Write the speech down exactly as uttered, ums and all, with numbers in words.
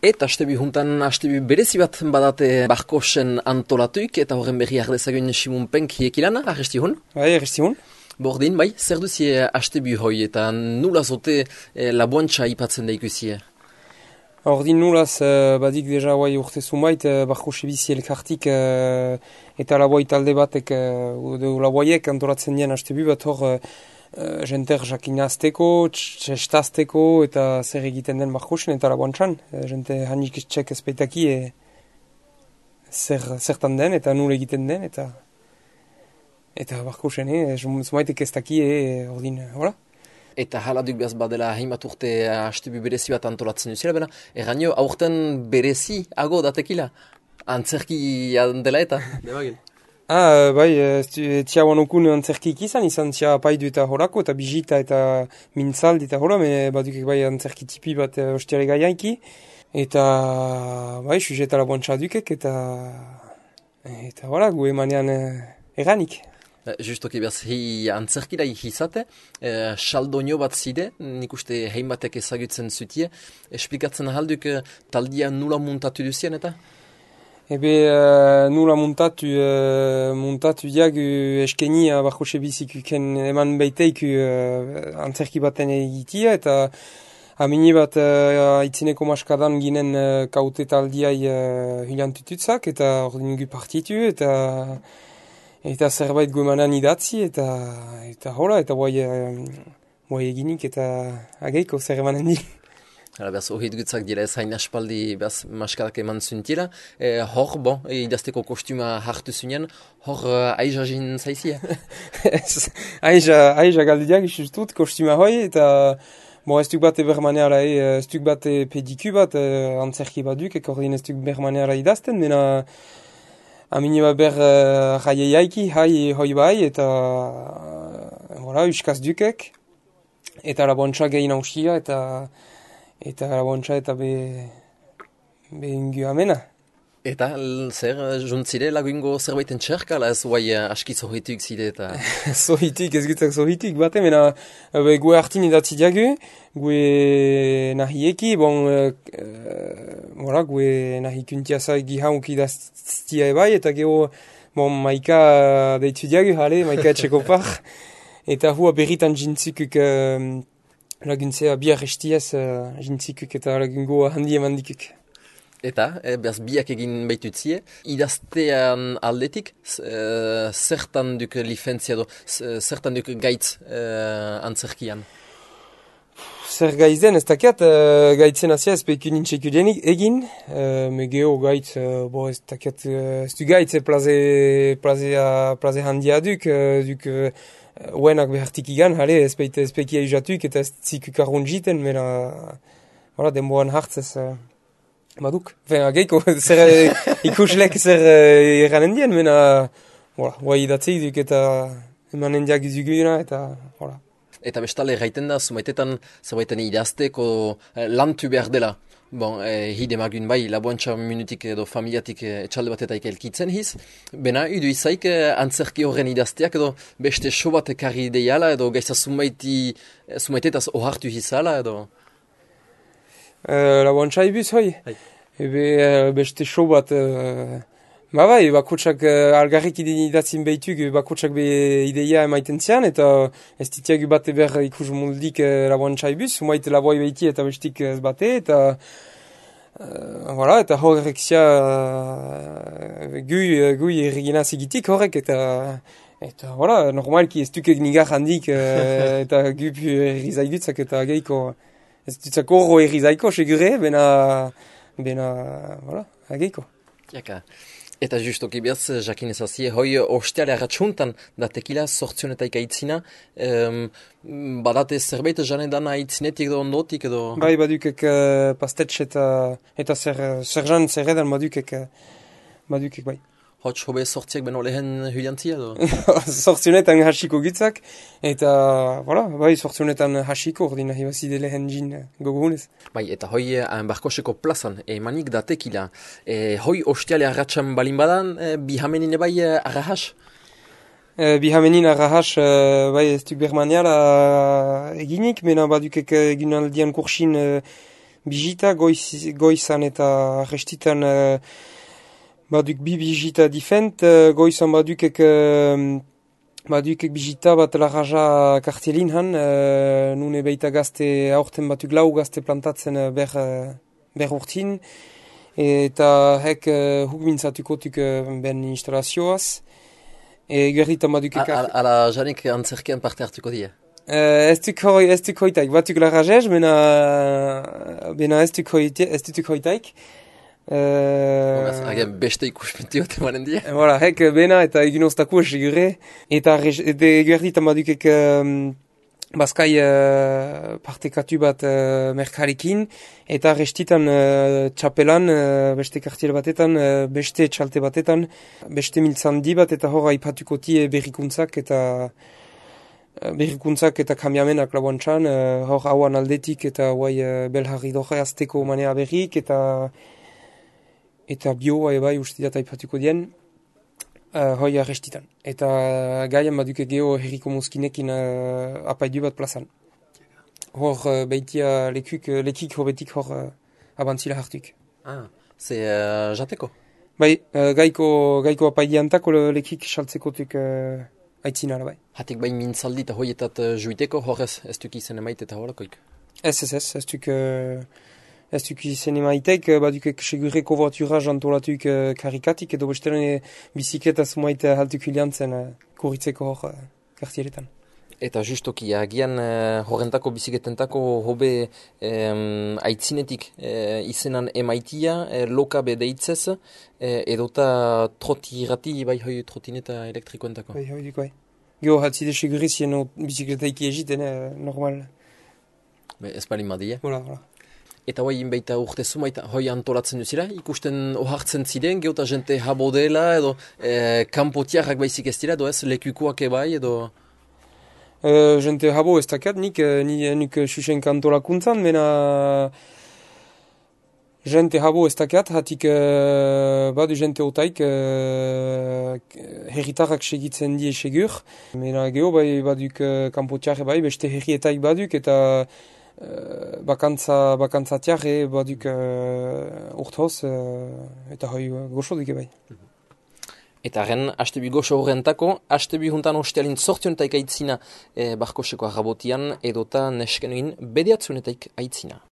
Eta astebi juntan, astebi berezi bat badate Barkosen antolatuik, eta horren berri ardezagun Simon Penk hiekilana, arresti hon? Bai, arresti hon. Bordin, bai, zer duzie astebi hoi, eta nula zote eh, laboantxa ipatzen da ikusie? Ordin nulaz, uh, badik deja guai urte zumait, uh, Barkose bizi elkartik uh, eta laboai talde batek, uh, laboaiek antolatzen dien astebi bat hor, uh, Uh, jenter jakinazteko, txestazteko eta zer egiten den Barkosen eta laboantxan. Uh, jente hanik txek ezpeitaki e, zer, zertan den eta nul egiten den eta eta Barkosen, e, zumaitek ez daki, e, ordin, hola. Eta hala duk behaz badela heimat urte astebi berezi bat antolatzen duzela, bena, erranio aurten berezi ago datekila, antzerki dela eta, debagin. Ah, bai, tia wanokun antzerkik izan, izan tia paidu eta horako, eta bijita eta mintzaldi eta hora, me badukek bai antzerki tipi bat ostiare gaiaiki, eta bai, sujeta laboantxa dukek, eta eta hola, gu emanean eranik. Justoki behaz, hi antzerkila izate, eh, saldonio bat zide, nik uste hein batek ezagutzen zutie, esplikatzen ahalduk taldia nula muntatu duzien eta? Ebe uh, nula muntatu, uh, muntatu diagu eskeni uh, Barkose bizikuken eman beiteik uh, antzerki baten egitia, eta amini bat uh, itzineko maskadan ginen uh, kaute taldiai uh, hilantututzak, eta ordin gu partitu, eta eta zerbait guemanan idatzi, eta eta hola, eta guai, uh, guai eginik, eta ageiko zer emanen di. Hala, behaz, ohit gutzak dira ez hain aspaldi behaz maskadak eman zuntila. E, hor, bon, e, idazteko kostuma hartu zunean, hor uh, aiza jin zaizia? aiza, aiza galdiak isustut kostuma hoi, eta bon, ez duk bat ebermaneara, e, ez duk bat pediku bat, e, antzerki baduk, eko ordin ez duk bermaneara idazten, mena amini bat ber uh, raie jaiki, hai hoi bai, eta uh, voilà, uskaz dukek, eta laboantxa gehin hausia, eta eta laboantxa eta be, be ingu amena. Eta zer, juntzire lagungo zerbaiten txerka, ala ez guai aski zohituk zide eta... Zohituk, ez gutzak zohituk, bate, mena be, gue hartin idatzi diagu, gue nahieki, bon, uh, voilà, gue nahi kuntiasa gihauk idaztia ebai, eta geho, bon, maika deitu diagu, jale, maika etxeko par, eta hua berritan jintzikuk... Uh, laguntzea biar estiaz uh, jintzikuk eta lagungo handi eman dikuk. Eta, e, behaz biak egin baitutzie, idaztean aldetik, e, zertan duk lifentzia do, zertan duk gaitz e, antzerkian? Zer gaiz den, ez dakiat, uh, gaitzen azia ez peiku nintxeku egin, uh, me geho gaitz, uh, bo ez dakiat, uh, ez du gaitz e plaze, plaze, plaze handia duk, uh, duk... Uh, Uenak behartik igan, hale, ez peikia izatuk eta ez zikuk arrun jiten, mena, voilà, denboan hartzez, uh, baduk. Fen, ageiko, zer ikuslek zer uh, eranen dien, mena, voilà, guai idatzeik duk eta emanen diak izuguna, eta, voilà. Eta bestale, gaiten da, zumaitetan, zerbaiten idazteko eh, lantu behar dela. Bon, eh, hide magun bai, laboantxa minutik edo familiatik eh, etxalde batetaik elkitzen hiz. Bena, idu izaik eh, antzerki horren idazteak edo beste so bat ekarri deiala edo gaitza zumaiti, zumaitetaz ohartu hizala edo? Uh, laboantxa ibuz, hoi. Hai. Ebe uh, beste so bat... Uh, ba bai, bakotsak uh, algarrik idatzin behituk, bakotsak be ideia emaiten zian, eta ez ditiagu bate ber ikus moldik uh, laboantxa ibuz, sumait laboi behiti eta bestik ez bate, eta... Uh, voilà, eta horrek zia uh, gui, uh, gui erregina zigitik horrek, eta eta voilà, normalki ez dukek nigar handik uh, eta gup errizaidutzak eta geiko ez dutzak horro errizaiko segure, bena bena, voilà, geiko. Jaka. Eta justoki behaz, jakin ezazie, hoi osteale arratxuntan da tekila sortzionetaik aitzina, um, badate zerbait janedan aitzinetik edo ondotik edo... Bai, badukek uh, pastetx eta, eta zer, zer jan zerredan badukek, uh, badukek bai. Hots, hobe sortziak beno lehen huliantzia edo? Sortzionetan hasiko gitzak, eta, voilà, bai, sortzionetan hasiko, ordin nahi bazide lehen jin gogohunez. Bai, eta hoi eh, Barkoseko plazan, emanik da tekila, eh, hoi ostiale arratxan balin badan, eh, bihamenin bai eh, arrahas? Eh, bihamenin arrahas, eh, bai, ez duk bermaniala eginik, mena badukek egin aldian kursin eh, bizita goiz, goizan eta restitan uh, baduk bi bizita difent, uh, goizan badukek uh, badukek bizita bat larraja kartielin han, uh, nune beita gazte aurten batuk lau gazte plantatzen uh, ber, uh, ber urtin, eta hek uh, huk mintzatukotuk uh, ben instalazioaz. E gerritan badukek... Ala janik antzerkean parte hartuko dira? Uh, ez duk hoitaik, batuk larrajez, bena, bena ez duk hoitaik. Uh, Hagen beste ikusmentio temanen dira? Voilà, hek bena eta egin oztaku esigure. Eta gerritan badukek um, bazkai uh, partekatu bat uh, merkarekin, eta restitan uh, txapelan, uh, beste kartiel batetan, uh, beste txalte batetan, beste miltzandi bat, eta hor aipatukotie berrikuntzak eta uh, berrikuntzak eta kamiamenak labuantxan, uh, hor hauan aldetik eta guai uh, belharri doge azteko manea berrik, eta eta bio bai uste dut aipatuko dien, uh, hoi arrestitan. Eta gaian baduke geho herriko mozkinekin uh, apaidu bat plazan. Hor uh, beitia lekuk, lekik hobetik hor uh, abantzila hartuk. Ah, ze uh, jateko? Bai, uh, gaiko, gaiko apaidiantako lekik saltzekotuk uh, aitzina bai. Hatik bain mintzaldi eta hoietat uh, juiteko horrez ez duk izen emaite eta horakoik? Ez, ez, ez, ez duk... Uh, Ez duk izen emaitek, badukek segure kovortura jantolatuk uh, karikatik, edo bestelen bizikleta zumait uh, haltuk iliantzen uh, kurritzeko hor uh, kartieretan. Eta justoki, agian uh, horrentako bizikletentako hobe um, aitzinetik uh, izenan emaitia, uh, lokabe deitzez, uh, edota troti irrati, bai hoi trotineta elektrikoentako. Bai, hoi duk, bai. Gio, hatzide segure zien bizikletaiki egiten, uh, normal. Be, ez bali madia. Hola, hola. Eta hoi inbeita urte zumaita hoi antolatzen duzira, ikusten ohartzen ziren, geota jente habo dela, edo e, kanpotiarrak baizik ez dira, edo ez, lekukoak ebai, edo... E, jente habo ez dakat, nik, ni, nik susen kantolakuntzan, mena... Jente habo ez dakat, hatik e, badu jente otaik, e, herritarrak segitzen die segur. Mena geho bai baduk kanpotiarre bai, beste herrietaik baduk, eta... Uh, bakantza, bakantza tiarre baduk uh, urthoz uh, eta hoi uh, goxo duke bai. Eta ren, haste bi goxo horrentako, haste bi juntan ostealin sortionetaik aitzina eh, barkoseko arrabotian edota neskenuin bediatzunetaik aitzina.